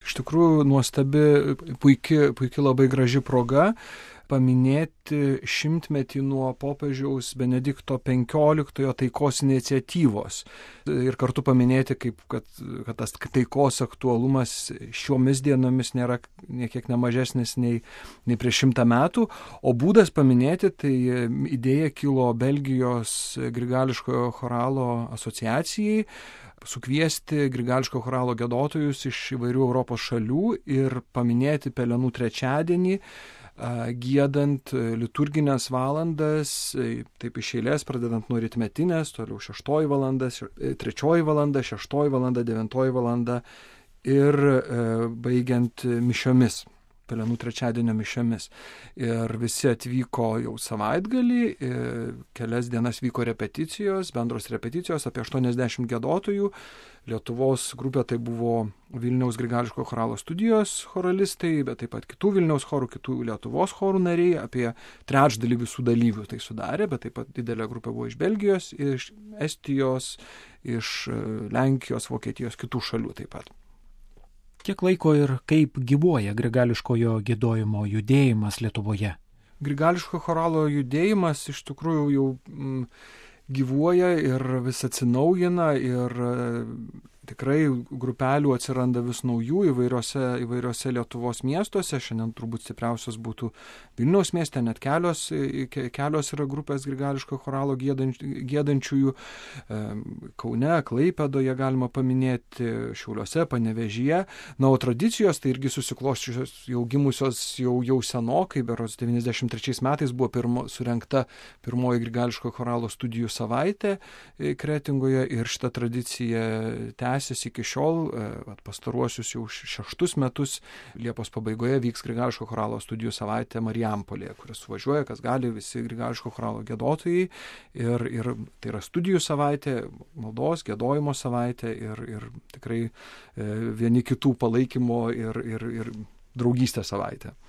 Iš tikrųjų nuostabi, puikia labai graži proga paminėti 100-metį nuo popiežiaus Benedikto XV taikos iniciatyvos ir kartu paminėti, kad tas taikos aktualumas šiomis dienomis nėra niekiek nemažesnis nei prieš 100 metų, o būdas paminėti, tai idėja kilo Belgijos Grigališkojo choralo asociacijai sukviesti Grigališkojo choralo giedotojus iš įvairių Europos šalių ir paminėti Pelenų trečiadienį, giedant liturginės valandas, taip iš eilės, pradedant nuo rytmetinės, toliau 6 valanda, 3 valanda, 6 valanda, 9 valanda ir baigiant mišiomis, Pelenų trečiadienio mišiomis. Ir visi atvyko jau savaitgalį, kelias dienas vyko repeticijos, bendros repeticijos, apie 80 giedotojų. Lietuvos grupė tai buvo Vilniaus Grigališkojo choralo studijos choralistai, bet taip pat kitų Vilniaus chorų, kitų Lietuvos chorų nariai, apie trečdalį visų dalyvių tai sudarė, bet taip pat didelė grupė buvo iš Belgijos, iš Estijos, iš Lenkijos, Vokietijos, kitų šalių taip pat. Kiek laiko ir kaip gyvuoja grigališkojo giedojimo judėjimas Lietuvoje? Grigališkojo choralo judėjimas iš tikrųjų jau gyvuoja ir vis atsinaujina ir tikrai grupelių atsiranda vis naujų įvairiose Lietuvos miestuose. Šiandien turbūt stipriausias būtų Vilniaus mieste, net kelios yra grupės Grigališkojo choralo giedančiųjų. Kaune, Klaipėdoje galima paminėti, Šiauliuose, Panevėžyje. Na, o tradicijos tai irgi susiklosčiusios jau gimusios jau senokai, berods 93 metais buvo surengta pirmoji Grigališkojo choralo studijų savaitė Kretingoje ir šita tradicija tęsiasi iki šiol, pastaruosius jau 6 metus. Liepos pabaigoje vyks Grigališkojo choralo studijų savaitė Marijampolėje, kuris suvažiuoja, kas gali, visi Grigališkojo choralo giedotojai. Ir tai yra studijų savaitė, maldos, giedojimo savaitė ir tikrai vieni kitų palaikymo ir draugystės savaitė.